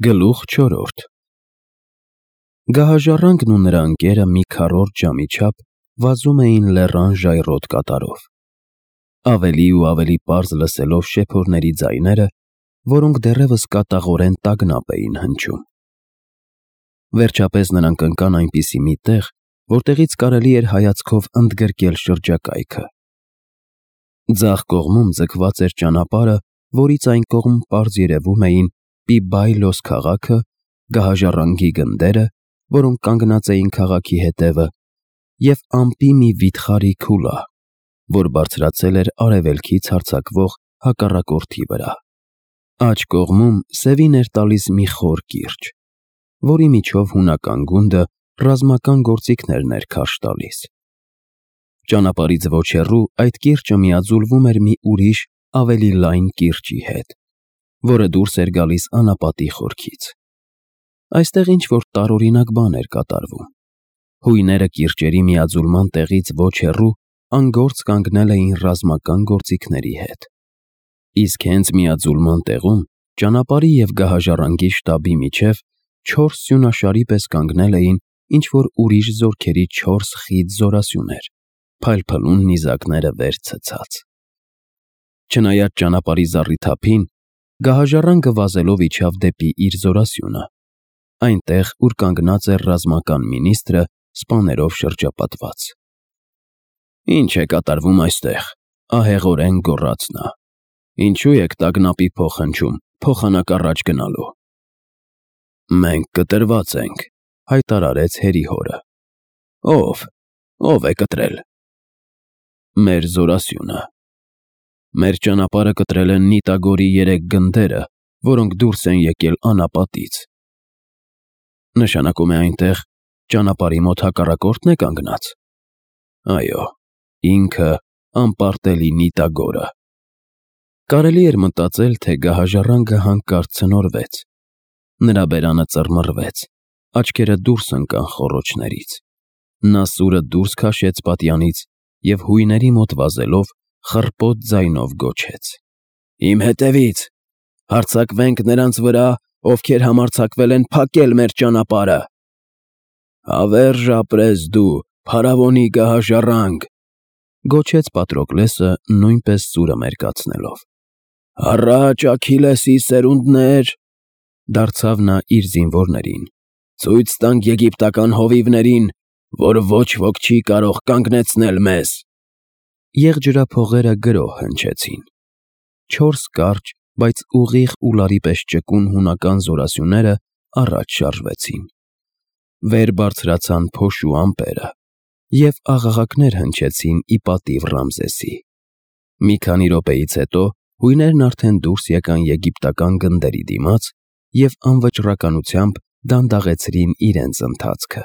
Գլուխ 4 Գահաժառանգն ու նրա ընկերը մի քառորդ ժամի չափ վազում էին լեռան ժայռոտ կատարով, ավելի ու ավելի պարզ լսելով շեփորների ձայները, որոնք դեռևս կատաղորեն տագնապ էին հնչում։ Վերջապես նրանք ընկան այնպիսի մի տեղ, որտեղից կարելի էր հայացքով ընդգրկել շրջակայքը։ Ձախ կողմում ձգված էր ճանապարհը, որից այն կողմ պարզ երևում էին Պիբայլոս քաղաքը, գահաժառանգի գնդերը, որոնք կանգնած էին քաղաքի հետևը, և ամպի մի վիթխարի քուլա, որ բարձրացել էր արևելքից հարձակվող հակառակորդի վրա։ Աջ կողմում սևին էր տալիս մի խոր կիրճ, որի միջով հունական գունդը ռազմական գործիքներն էր քարշ տալիս։ Ճանապարհից ոչ հեռու այդ կիրճը միաձուլվում էր մի ուրիշ, ավելի լայն կիրճի հետ, որը դուրս էր գալիս անապատի խորքից։ Այստեղ ինչ-որ տարօրինակ բան էր կատարվում։ Հույները կիրճերի միաձուլման տեղից ոչ հեռու անգործ կանգնել էին ռազմական գործիքների հետ։ Իսկ հենց միաձուլման տեղում ճանապարհի և գահաժառանգի շտաբի միջև 4 սյունաշարի պես կանգնել էին ինչ-որ ուրիշ զորքերի 4 խիտ զորասյուներ, փայլփլուն նիզակները վեր ցցած։ Չնայած ճանապարհի զառիթափին, գահաժառանգը վազելով իջավ դեպի իր զորասյունը, այնտեղ, ուր կանգնած էր ռազմական մինիստրը սպաներով շրջապատված։ «Ինչ է կատարվում այստեղ», ահեղորեն գոռաց նա։ «Ինչու եք տագնապի փող հնչում, փոխանակ առաջ գնալու»։ «Մենք կտրված ենք», հայտարարեց հերի հորը։ Ով է կտրել։ «Մեր զորասյունը։ Մեր ճանապարհը կտրել են Նիտագորի 3 գնդերը, որոնք դուրս են եկել անապատից»։ «Նշանակում է այնտեղ ճանապարհի մոտ հակառակորդն է կանգնած»։ «Այո, ինքը անպարտելի Նիտագորը»։ Կարելի էր մտածել, թե գահաժառանգը հանկարծ ցնորվեց։ Նրա բերանը ծռմռվեց, աչքերը դուրս ընկան խոռոչներից։ Նա սուրը դուրս քաշեց պատյանից և հույների մոտ վազելով խռպոտ ձայնով գոչեց. «Իմ հետևից, հարձակվենք նրանց վրա, ովքեր համարձակվել են փակել մեր ճանապարհը»։ «Հավերժ ապրես դու, փարավոնի գահաժառանգ», գոչեց Պատրոկլեսը նույնպես սուրը մերկացնելով։ «Առաջ, Աքիլեսի սերունդներ», դարձավ նա իր զինվորներին, «ցույց տանք եգիպտական հովիվներին, որ ոչ ոք չի կարող կանգնեցնել մեզ»։ Եղջրափողերը գրոհ հնչեցին։ 4 կարճ, բայց ուղիղ ուլարի պես ճկուն հունական զորասյուները առաջ շարժվեցին։ Վեր բարձրացան փոշու ամպերը, և աղաղակներ հնչեցին ի պատիվ Ռամզեսի։ Մի քանի րոպեից հետո հույներն արդեն դուրս եկան եգիպտական գնդերի դիմաց և անվճռականությամբ դանդաղեցրին իրենց ընթացքը։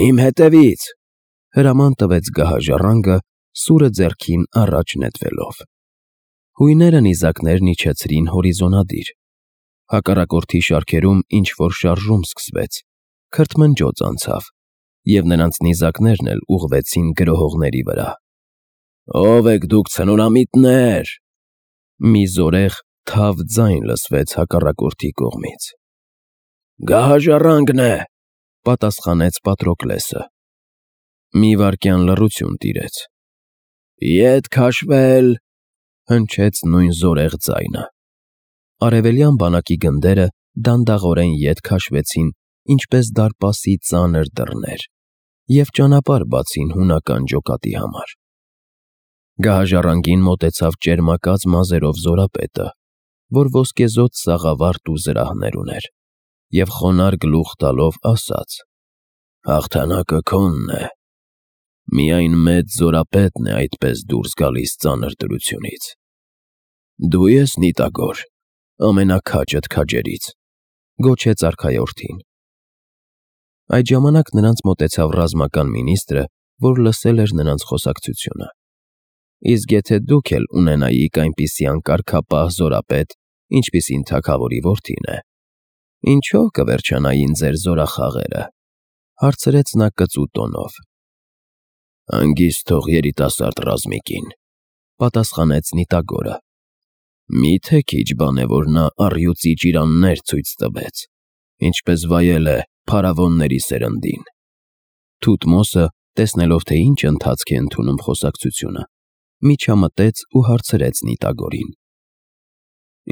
«Իմ հետևից», հրաման տվեց գահաժառանգը, սուրը ձեռքին առաջ նետվելով։ Հույները նիզակներն իջեցրին հորիզոնադիր։ Հակառակորդի շարքերում ինչ-որ շարժում սկսվեց, քրթմնջոց անցավ, և նրանց նիզակներն էլ ուղղվեցին գրոհողների վրա։ «Ո՞վ եք դուք, ցնորամիտներ», մի զորեղ, թավ ձայն լսվեց հակառակորդի կողմից։ «Գահաժառանգն է», պատասխանեց Պատրոկլեսը։ Մի վայրկյան լռություն տիրեց։ «Ետ քաշվել», հնչեց նույն զորեղ ձայնը։ Արևելյան բանակի գնդերը դանդաղորեն ետ քաշվեցին, ինչպես դարպասի ծանր դռներ, և ճանապարհ բացին հունական ջոկատի համար։ Գահաժառանգին մոտեցավ ճերմակած մազերով զորապետը, որ ոսկեզօծ սաղավարտ ու զրահներ ուներ, և խոնարհ գլուխ տալով ասաց. «Հաղթանակը քոնն է։ Միայն մեծ զորապետն է այդպես դուրս գալիս ծանր դրությունից։ Դու ես Նիտագոր, ամենաքաջդ քաջերից», գոչեց արքայորդին։ Այդ ժամանակ նրանց մոտեցավ ռազմական մինիստրը, որ լսել էր նրանց խոսակցությունը։ «Իսկ եթե դուք էլ ունենայիք այնպիսի անկարգապահ զորապետ, ինչպիսին թագավորի որդին է, ինչո՞վ կվերջանային ձեր զորախաղերը», հարցրեց նա կծու տոնով։ «Հանգիստ թող երիտասարդ ռազմիկին», պատասխանեց Նիտագորը։ Մի՞թե քիչ բան է, որ նա առյուծի ճիրաններ ցույց տվեց, ինչպես վայել է փարավոնների սերնդին։ Թութմոսը, տեսնելով, թե ինչ ընթացք է ընդունում խոսակցությունը, միջամտեց ու հարցրեց Նիտագորին.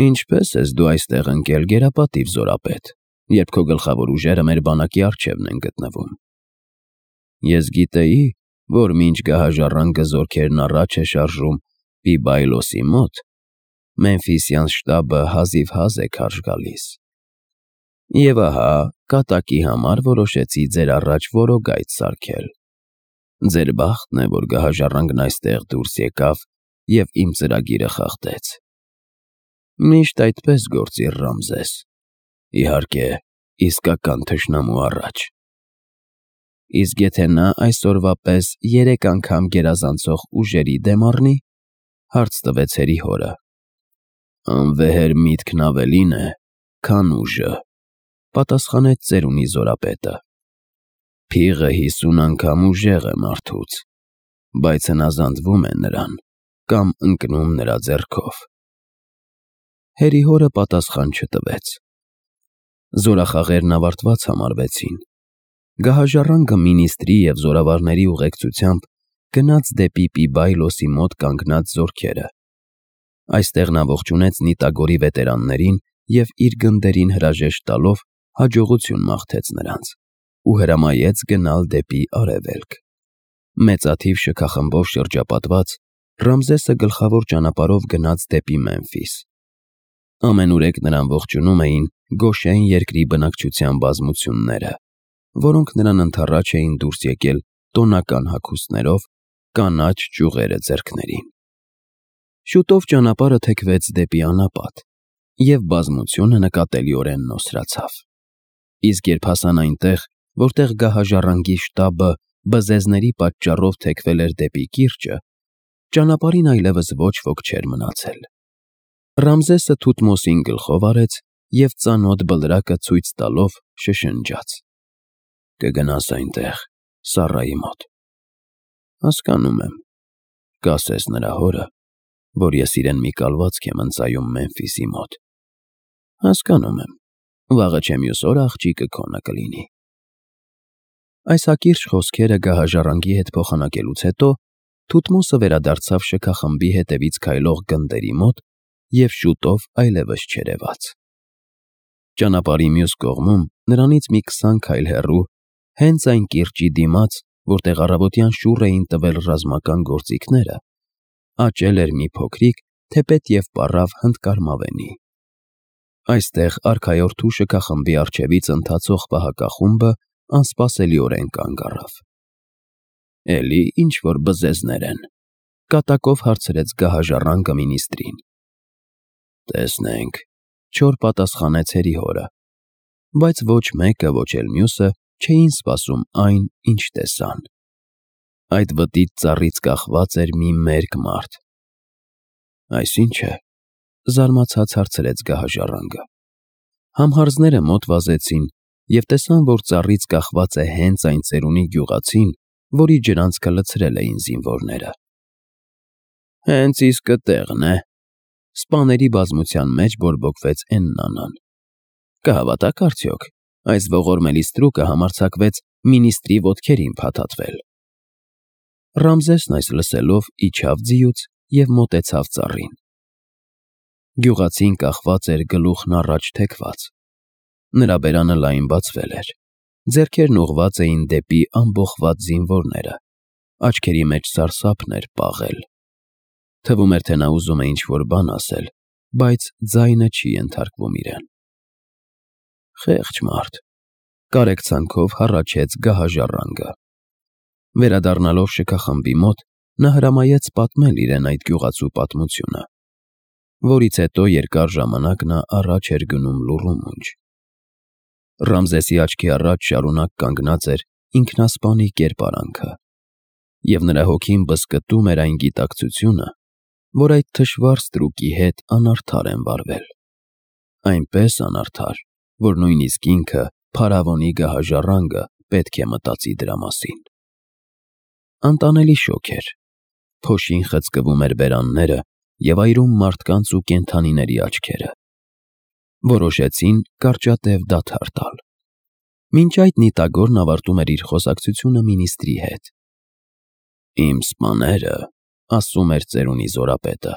«Ինչպես ես դու այստեղ ընկել, գերապատիվ զորապետ, երբ քո գլխավոր ուժերը մեր բանակի առջևն են գտնվում»։ Ես գիտեի, որ մինչ գահաժառանգը զորքերն առաջ է շարժում Պիբայլոսի մոտ, Մեմֆիսյան շտաբը հազիվհազ է քարշ գալիս։ Եվ ահա, կատակի համար որոշեցի ձեր առաջ որոգայթ սարքել։ Ձեր բախտն է, որ գահաժառանգն այստեղ դուրս եկավ և իմ ծրագիրը խախտեց։ Միշտ այդպես գործիր, Ռամզես, իհարկե, իսկական թշնամու առաջ։ Իսկ եթե նա այսօրվա պես 3 անգամ գերազանցող ուժերի դեմ առնի, հարց տվեց հորը։ Անվեհեր միտքն ավելին է, քան ուժը, պատասխանեց ծերունի զորապետը։ Փիղը 50 անգամ ուժեղ է մարդուց, բայց հնազանդվում է նրան կամ ընկնում նրա ձեռքով։ Հորը պատասխան չտվեց։ Զորախաղերն ավարտված համարվեցին։ Գահաժառանգը մինիստրի և զորավարների ուղեկցությամբ գնաց դեպի Պիբայլոսի մոտ կանգնած զորքերը։ Այստեղ նա ողջունեց Նիտագորի վետերաններին և իր գնդերին հրաժեշտ տալով հաջողություն մաղթեց նրանց ու հրամայեց գնալ դեպի արևելք։ Մեծաթիվ շքախմբով շրջապատված, Ռամզեսը գլխավոր ճանապարհով գնաց դեպի Մեմֆիս։ Ամենուրեք նրան ողջունում էին Գոշեն երկրի բնակչության բազմությունները, որոնք նրան ընդառաջ էին դուրս եկել տոնական հագուստներով, կանաչ ճյուղերը ձեռքներին։ Շուտով ճանապարհը թեքվեց դեպի անապատ, և բազմությունը նկատելիորեն նոսրացավ։ Իսկ երբ հասան այնտեղ, որտեղ գահաժառանգի շտաբը բզեզների պատճառով թեքվել էր դեպի կիրճը, ճանապարհին այլևս ոչ ոք չէր մնացել։ Ռամզեսը Թութմոսին գլխով արեց և ծանոթ բլրակը ցույց տալով շշնջաց. «Կգնաս այնտեղ, Սառայի մոտ»։ Հասկանում եմ, կասես նրա հորը, որ ես իրեն մի կալվածք եմ ընծայում Մեմֆիսի մոտ։ Հասկանում եմ, վաղը չէ մյուս օրը աղջիկը քոնը կլինի։ Այս հակիրճ խոսքերը գահաժառանգի հետ փոխանակելուց հետո Թութմոսը վերադարձավ շքախմբի հետևից քայլող գնդերի մոտ և շուտով այլևս չերևաց։ Ճանապարհի մյուս կողմում, նրանից մի 20 քայլ հեռու, հենց այն կիրճի դիմաց, որտեղ առավոտյան շուռ էին տվել ռազմական գործիքները, աճել էր մի փոքրիկ, թեպետ և պառավ հնդկարմավենի։ Այստեղ արքայորդու շքախմբի առջևից ընթացող պահակախումբը անսպասելիորեն կանգ առավ։ Էլի ինչ-որ բզեզներ են, կատակով հարցրեց գահաժառանգը մինիստրին։ Տեսնենք, չոր պատասխանեց հորը, բայց ոչ մեկը, ոչ էլ մյուսը չէին սպասում այն, ինչ տեսան։ Այդ վտիտ ծառից կախված էր մի մերկ մարդ։ Այսինչ է, զարմացած հարցրեց գահաժառանգը։ Համհարձները մոտ վազեցին և տեսան, որ ծառից կախված է հենց այն ծերունի գյուղացին, որի ջրանցքը լցրել էին զինվորները։ Հենց իսկը տեղն է, սպաների բազմության մեջ բորբոքվեց Էննանան։ Կհավատաք արդյոք, այս ողորմելի ստրուկը համարձակվեց մինիստրի ոտքերին փաթաթվել։ Ռամզեսն այս լսելով իջավ ձիուց և մոտեցավ ծառին։ Գյուղացին կախված էր գլուխն առաջ թեքված։ Նրա բերանը լայն բացվել էր, ձեռքերն ուղղված էին դեպի ամբոխված զինվորները, աչքերի մեջ սարսափն էր պաղել։ Թվում էր, թե նա ուզում է ինչ-որ բան ասել, բայց ձայնը չի ենթարկվում իրեն։ Խեղճ մարդ, կարեկցանքով հառաչեց գահաժառանգը։ Վերադառնալով շքախմբի մոտ, նա հրամայեց պատմել իրեն այդ գյուղացու պատմությունը, որից հետո երկար ժամանակ նա առաջ էր գնում լուռու մունջ։ Ռամզեսի աչքի առաջ շարունակ կանգնած էր ինքնասպանի կերպարանքը, և նրա հոգին բզկտում էր այն գիտակցությունը, որ այդ թշվառ ստրուկի հետ անարդար են վարվել։ Այնպես անարդար, որ նույնիսկ ինքը, փարավոնի գահաժառանգը, պետք է մտածի դրա մասին։ Անտանելի շոգ էր։ Փոշին խցկվում էր բերանները, և այրում մարդկանց ու կենդանիների աչքերը։ Որոշեցին կարճատև դադար տալ։ Մինչ այդ Նիտագորն ավարտում էր իր խոսակցությունը մինիստրի հետ։ «Իմ սպաները, ասում էր ծերունի զորապետը,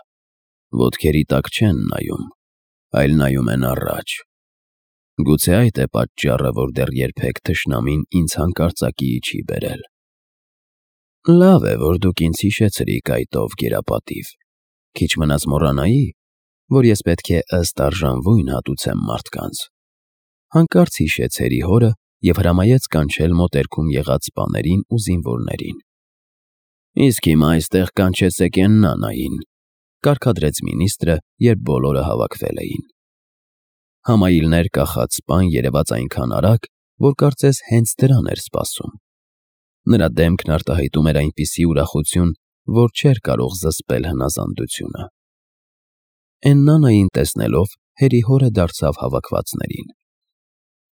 ոտքերի տակ չեն նայում, այլ նայում են առաջ։ Գուցե այդ է պատճառը, որ դեռ երբեք թշնամին ինձ հանկարծակիի չի բերել։ Լավ է, որ դուք ինձ հիշեցրիք այդ ով գերապատիվ։ Քիչ մնաց մոռանայի, որ ես պետք է ըստ արժանվույն հատուցեմ մարդկանց»։ Հանկարծ հիշեց հերի հորը և հրամայեց կանչել մոտերքում եղած սպաներին ու զինվորներին։ «Իսկ հիմա այստեղ կանչեցեք Էննանային», կարգադրեց մինիստրը, երբ բոլորը հավաքվել էին։ Համայիլներ կախած սպան երևաց այնքան արագ, որ կարծես հենց դրան էր սպասում։ Նրա դեմքն արտահայտում էր այնպիսի ուրախություն, որ չէր կարող զսպել հնազանդությունը։ Էննանային տեսնելով, հերի հորը դարձավ հավաքվածներին.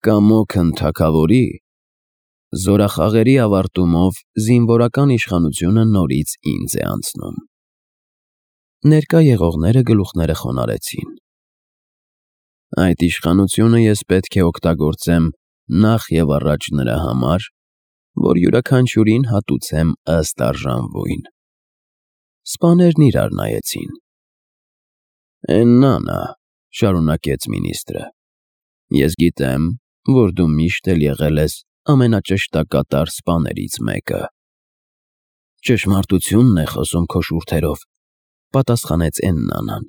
«Կամոքն թագավորի, զորախաղերի ավարտումով զինվորական իշխանությունը նորից ինձ է անցնում»։ Ներկա եղողները գլուխները խոնարհեցին։ «Այդ իշխանությունը ես պետք է օգտագործեմ նախ և առաջ նրա համար, որ յուրաքանչյուրին հատուցեմ ըստ արժանվույն»։ Սպաներն իրար նայեցին։ «Էննանա», շարունակեց մինիստրը, «ես գիտեմ, որ դու միշտ էլ եղել ես ամենաճշտակատար սպաներից մեկը»։ «Ճշմարտությունն է խոսում քո շուրթերով», պատասխանեց Էննանան։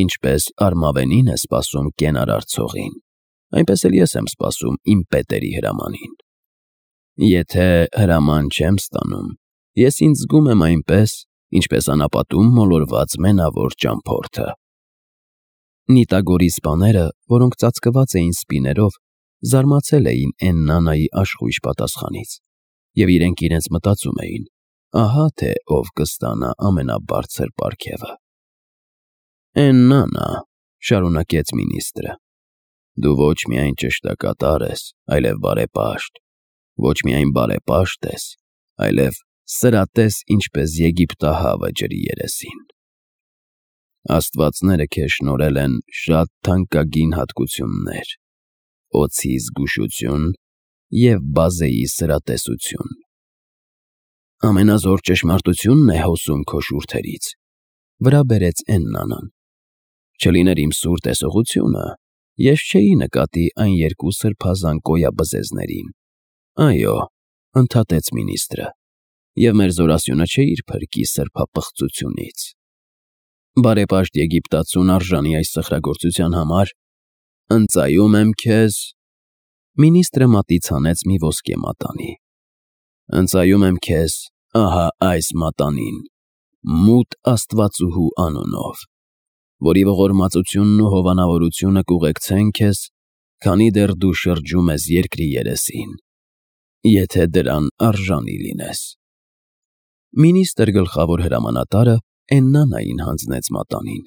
«Ինչպես արմավենին է սպասում կենարար ցողին, այնպես էլ ես եմ սպասում իմ պետերի հրամանին։ Եթե հրաման չեմ ստանում, ես ինձ զգում եմ այնպես, ինչպես անապատում մոլորված մենավոր ճամփորդը»։ Նիտագորի սպաները, որոնք ծածկված էին սպիներով, զարմացել էին Էննանայի աշխույժ պատասխանից, և իրենք մտածում էին. ահա թե ով կստանա ամենաբարձր պարգևը։ «Էննանա», շարունակեց մինիստրը, «դու ոչ միայն ճշտակատար ես, այլև բարեպաշտ, ոչ միայն բարեպաշտ ես, այլև սրատես, ինչպես Եգիպտահավը ջրի երեսին։ Աստվածները քեզ շնորհել են շատ թանկագին հատկություններ՝ օձի զգուշություն և բազեի սրատեսություն»։ «Ամենազոր ճշմարտությունն է հոսում քո շուրթերից», վրա բերեց Էննանան։ «Չլիներ իմ սուր տեսողությունը, ես չէի նկատի այն երկու սրբազան կոյաբզեզներին»։ «Այո», ընդհատեց մինիստրը, «և մեր զորասյունը չէ իր փրկի սրբապղծությունից։ Բարեպաշտ եգիպտացուն արժանի այս սխրագործության համար ընծայում եմ քեզ»։ Մինիստրը մատից հանեց մի ոսկե մատանի։ «Ընծայում եմ քեզ ահա այս մատանին, Մութ Աստվածուհու անունով, որի ողորմածությունն ու հովանավորությունը կուղեկցեն քեզ, քանի դեռ դու շրջում ես երկրի երեսին, եթե դրան արժանի լինես»։ Մինիստրը գլխավոր հրամանատարը Էննանային հանձնեց մատանին,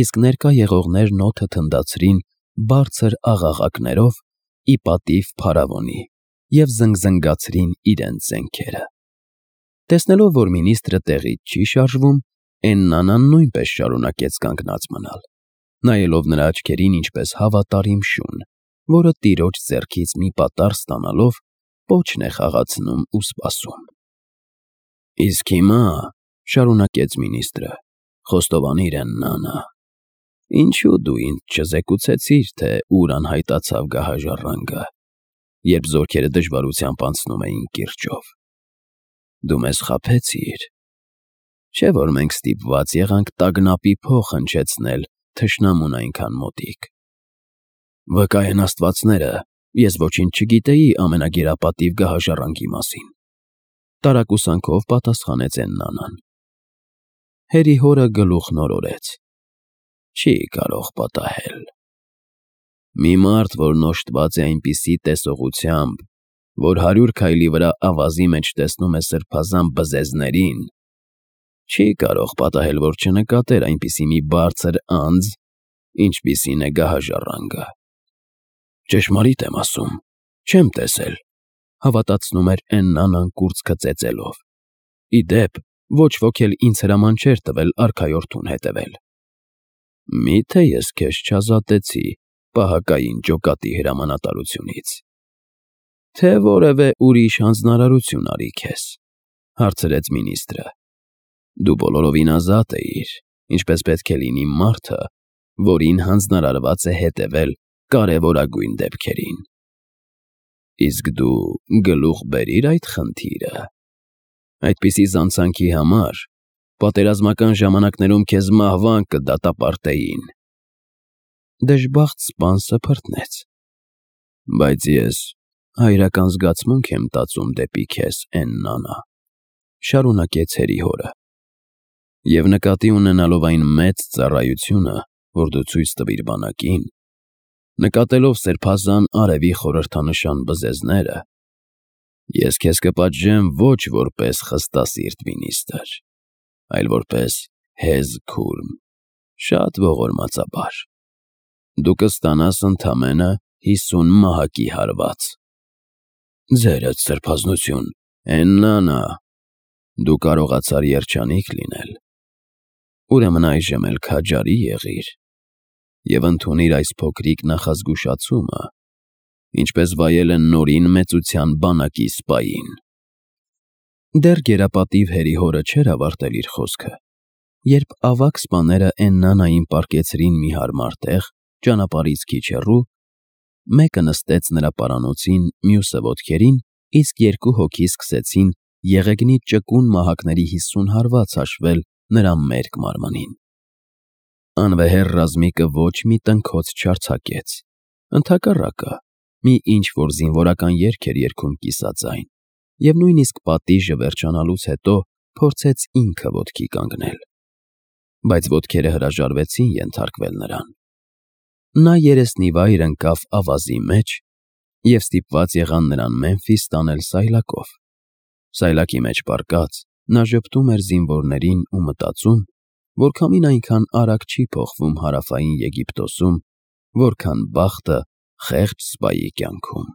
իսկ ներկա եղողներն օդը թնդացրին բարձր աղաղակներով ի պատիվ փարավոնի և զնգզնգացրին իրենց զենքերը։ Տեսնելով, որ մինիստրը տեղից չի շարժվում, Էննանան նույնպես շարունակեց կանգնած մնալ, նայելով նրա աչքերին ինչպես հավատարիմ շուն, որը տիրոջ ձեռքից մի պատառ ստանալով պոչն է խաղացնում ու սպասում։ «Իսկ հիմա», շարունակեց մինիստրը, «խոստովանիր, Էննանա, ինչու դու ինձ չզեկուցեցիր, թե ուր անհայտացավ գահաժառանգը, երբ զորքերը դժվարությամբ անցնում էին կիրճով։ Դու մեզ խաբեցիր, չէ՞ որ մենք ստիպված եղանք տագնապի փող հնչեցնել թշնամուն այնքան մոտիկ»։ «Վկա են աստվածները, ես ոչինչ չգիտեի ամենագերապատիվ գահաժառանգի մասին», տարակուսանքով պատասխանեց Էննանան։ Հերի հորը գլուխն օրորեց. «Չի կարող պատահել։ Մի մարդ, որն օժտված է այնպիսի տեսողությամբ, որ 100 քայլի վրա ավազի մեջ տեսնում է սրբազան բզեզներին, չի կարող պատահել, որ չնկատեր այնպիսի մի բարձր անձ, ինչպիսին է գահաժառանգը»։ «Ճշմարիտ եմ ասում, չեմ տեսել», հավատացնում էր Էննանան կուրծքը ծեծելով։ «Ի դեպ, Ոչ ոք էլ ինձ հրաման չէր տվել արքայորդուն հետևել։ Միթե ես քեզ չազատեցի պահակային ջոկատի հրամանատարությունից։ Թե որևէ ուրիշ հանձնարարություն արի քեզ, հարցրեց մինիստրը։ Դու բոլորովին ազատ էիր, ինչպես պետք է լինի մարդը, որին հանձնարարված է հետևել կարևորագույն դեպքերին։ Իսկ դու գլուխ բերիր այդ խնդիրը։ Այդպիսի զանցանքի համար պատերազմական ժամանակներում քեզ մահվան կդատապարտեին։ Դժբախտ սպան սփռտնեց։ Բայց ես հայրական զգացմունք եմ տածում դեպի քեզ, Էննանա, շարունակեց հորը, և նկատի ունենալով այն մեծ ծառայությունը, որ դու ցույց տվիր բանակին, նկատելով սրբազան արևի խորհրդանշան բզեզները, ես քեզ կպատժեմ ոչ որպես խստասիրտ մինիստր, այլ որպես հեզ քուրմ, շատ ողորմածաբար։ Դու կստանաս ընդամենը 50 մահակի հարված։ Ձերդ սրբազնություն, Էննանա, դու կարողացար երջանիկ լինել, ուրեմն այժմ էլ քաջարի եղիր և ընդունիր այս փոքրիկ նախազգուշացումը, ինչպես վայել են նորին մեծության բանակի սպային։ Դեռ գերապատիվ հորը չէր ավարտել իր խոսքը, երբ ավագ սպաները Էննանային պառկեցրին մի հարմար տեղ ճանապարհից քիչ հեռու, մեկը նստեց նրա պարանոցին, մյուսը ոտքերին, իսկ երկու հոգի սկսեցին եղեգնի ճկուն մահակների 50 հարված հաշվել նրա մերկ մարմնին։ Անվեհեր ռազմիկը ոչ մի տնքոց չարձակեց, ընդհակառակը, մի ինչ-որ զինվորական երգ էր երգում կիսաձայն, և նույնիսկ պատիժը վերջանալուց հետո փորձեց ինքը ոտքի կանգնել, բայց ոտքերը հրաժարվեցին ենթարկվել նրան։ Նա երեսնիվայր ընկավ ավազի մեջ և ստիպված եղան նրան Մեմֆիս տանել սայլակով։ Սայլակի մեջ պառկած՝ նա ժպտում էր զինվորներին ու մտածում, որ քամին այնքան արագ չի փոխվում Հարավային Եգիպտոսում, որքան բախտը խեղճ սպայի կյանքում։